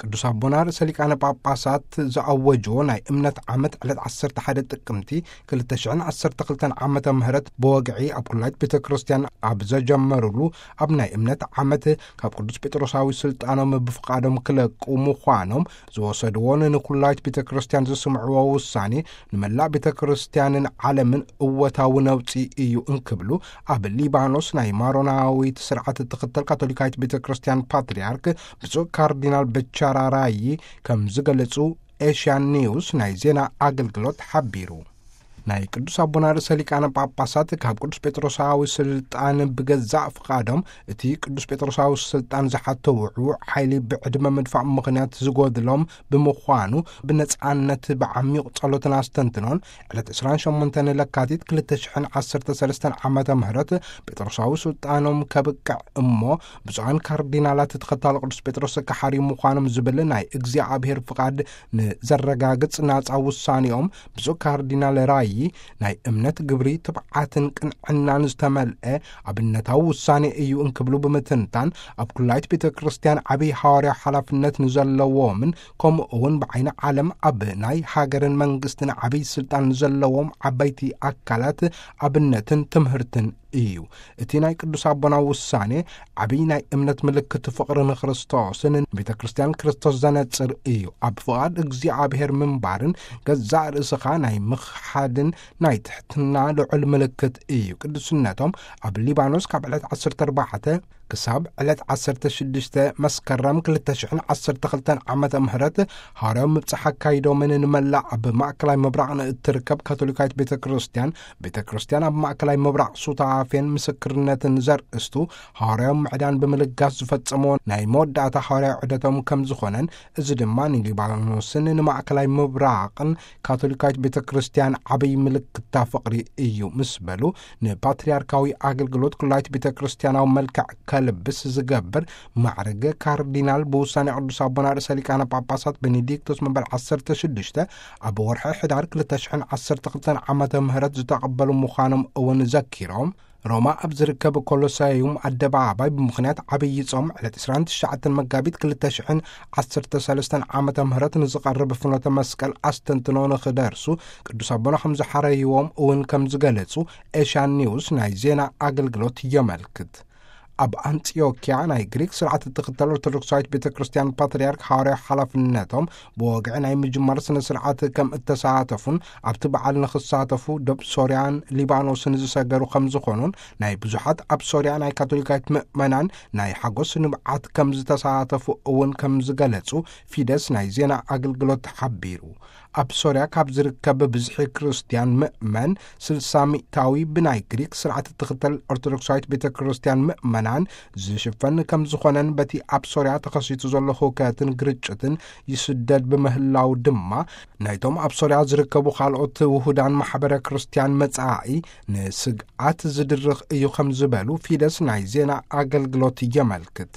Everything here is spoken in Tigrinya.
ቅዱስ ኣቦና ርእሰ ሊቃነ ጳጳሳት ዝኣወጅዎ ናይ እምነት ዓመት ዕለት ዓሰርተ ሓደ ጥቅምቲ ክልተ ሽሕን ዓሰርተ ክልተን ዓመተ ምህረት ብወግዒ ኣብ ኩላይት ቤተ ክርስቲያን ኣብ ዘጀመሩሉ፣ ኣብ ናይ እምነት ዓመት ካብ ቅዱስ ጴጥሮሳዊ ስልጣኖም ብፍቓዶም ክለቁ ምዃኖም ዝወሰድዎን ንኩላይት ቤተ ክርስቲያን ዘስምዕዎ ውሳኔ ንመላእ ቤተ ክርስቲያንን ዓለምን እወታዊ ነውጺ እዩ እንክብሉ፣ ኣብ ሊባኖስ ናይ ማሮናዊት ስርዓት እትኽተል ካቶሊካዊት ቤተ ክርስቲያን ፓትርያርክ ብፁዕ ካርዲናል በቻራራዪ ከም ዝገለጹ ኤሽያን ኒውስ ናይ ዜና ኣገልግሎት ሓቢሩ። ናይ ቅዱስ ኣቦና ርእሰ ሊቃነ ጳጳሳት ካብ ቅዱስ ጴጥሮሳዊ ስልጣን ብገዛእ ፍቓዶም፣ እቲ ቅዱስ ጴጥሮሳዊ ስልጣን ዝሓቶ ውዕዉዕ ሓይሊ ብዕድመ ምድፋእ ምኽንያት ዝጎድሎም ብምዃኑ፣ ብነጻነት ብዓሚቕ ጸሎትን ኣስተንትኖን ዕለት ዕስራን ሸሞንተን ለካቲት ክልተ ሽሕን ዓሰርተ ሰለስተን ዓመተ ምህረት ጴጥሮሳዊ ስልጣኖም ከብቅዕ እሞ ብፁዓን ካርዲናላት ተኸታሊ ቅዱስ ጴጥሮስ ክሓርዩ ምዃኖም ዝብል ናይ እግዚኣብሔር ፍቓድ ንዘረጋግጽ ናጻ ውሳኔኦም፣ ብፁዕ ካርዲናል ራዪ ናይ እምነት ግብሪ፣ ትብዓትን ቅንዕናን ዝተመልአ ኣብነታዊ ውሳኔ እዩ እንክብሉ ብምትንታን፣ ኣብ ኩላይት ቤተ ክርስቲያን ዓብዪ ሃዋርያዊ ሓላፍነት ንዘለዎምን ከምኡ እውን ብዓይኒ ዓለም ኣብ ናይ ሃገርን መንግስትን ዓብዪ ስልጣን ንዘለዎም ዓበይቲ ኣካላት ኣብነትን ትምህርትን እዩ። እቲ ናይ ቅዱስ ኣቦና ውሳኔ ዓብዪ ናይ እምነት ምልክት ፍቕሪ ንክርስቶስን ቤተ ክርስቲያን ክርስቶስ ዘነጽር እዩ። ኣብ ፍቓድ እግዚኣብሔር ምንባርን ገዛእ ርእስኻ ናይ ምኽሓድን ናይ ትሕትና ልዑል ምልክት እዩ። ቅዱስነቶም ኣብ ሊባኖስ ካብ ዕለት ዓሰርተ ኣርባዕተ ክሳብ ዕለት ዓሰርተ ሽዱሽተ መስከረም ክልተ ሽሕን ዓሰርተ ክልተን ዓመተ ምህረት ሃዋርያዊ ምብጻሕ ኣካይዶምን ንመላእ ኣብ ማእከላይ ምብራቕ ንእትርከብ ካቶሊካዊት ቤተ ክርስቲያን፣ ቤተ ክርስቲያን ኣብ ማእከላይ ምብራቕ ሱታፌን ምስክርነትን ዘርእስቱ ሃዋርያዊ ምዕዳን ብምልጋስ ዝፈጸምዎ ናይ መወዳእታ ሃዋርያዊ ዑደቶም ከም ዝኾነን፣ እዚ ድማ ንሊባኖስን ንማእከላይ ምብራቕን ካቶሊካዊት ቤተ ክርስቲያን ዓብዪ ምልክታ ፍቕሪ እዩ ምስ በሉ፣ ንፓትርያርካዊ ኣገልግሎት ኩላይት ቤተ ክርስቲያናዊ መልክዕ ከልብስ ዝገብር ማዕርግ ካርዲናል ብውሳኔ ቅዱስ ኣቦና ርእሰ ሊቃነ ጳጳሳት ቤኔዲክቶስ መበል ዓሰርተ ሽዱሽተ ኣብ ወርሒ ሕዳር ክልተ ሽሕን ዓሰርተ ክልተን ዓመተ ምህረት ዝተቐበሉ ምዃኖም እውን ዘኪሮም፣ ሮማ ኣብ ዝርከብ ኮሎሳዩም ኣደባባይ ብምኽንያት ዓብዪ ጾም ዕለት ዕስራን ትሽዓተን መጋቢት ክልተ ሽሕን ዓሰርተ ሰለስተን ዓመተ ምህረት ንዝቐርብ ፍኖተ መስቀል ኣስተንትኖ ንኽደርሱ ቅዱስ ኣቦና ከም ዝሓረይዎም እውን ከም ዝገለጹ ኤሽያን ኒውስ ናይ ዜና ኣገልግሎት የመልክት። ኣብ ኣንጢዮክያ ናይ ግሪክ ስርዓት እትኽተል ኦርቶዶክሳዊት ቤተ ክርስቲያን ፓትርያርክ ሃዋርያዊ ሓላፍነቶም ብወግዒ ናይ ምጅማር ስነ ስርዓት ከም እተሳተፉን ኣብቲ በዓል ንኽሳተፉ ዶብ ሶርያን ሊባኖስን ዝሰገሩ ከም ዝኾኑን ናይ ብዙሓት ኣብ ሶርያ ናይ ካቶሊካዊት ምእመናን ናይ ሓጎስ ንብዓት ከም ዝተሳተፉ እውን ከም ዝገለጹ ፊደስ ናይ ዜና ኣገልግሎት ሓቢሩ። ኣብ ሶርያ ካብ ዝርከብ ብዝሒ ክርስትያን ምእመን ስልሳ ሚእታዊ ብናይ ግሪክ ስርዓት እትኽተል ኦርቶዶክሳዊት ቤተ ክርስቲያን ምእመናን ዝሽፈን ከም ዝኾነን በቲ ኣብ ሶርያ ተኸሲቱ ዘሎ ህውከትን ግርጭትን ይስደድ ብምህላው ድማ ናይቶም ኣብ ሶርያ ዝርከቡ ካልኦት ውሁዳን ማሕበረ ክርስትያን መጻኢ ንስግኣት ዝድርኽ እዩ ከም ዝበሉ ፊደስ ናይ ዜና ኣገልግሎት የመልክት።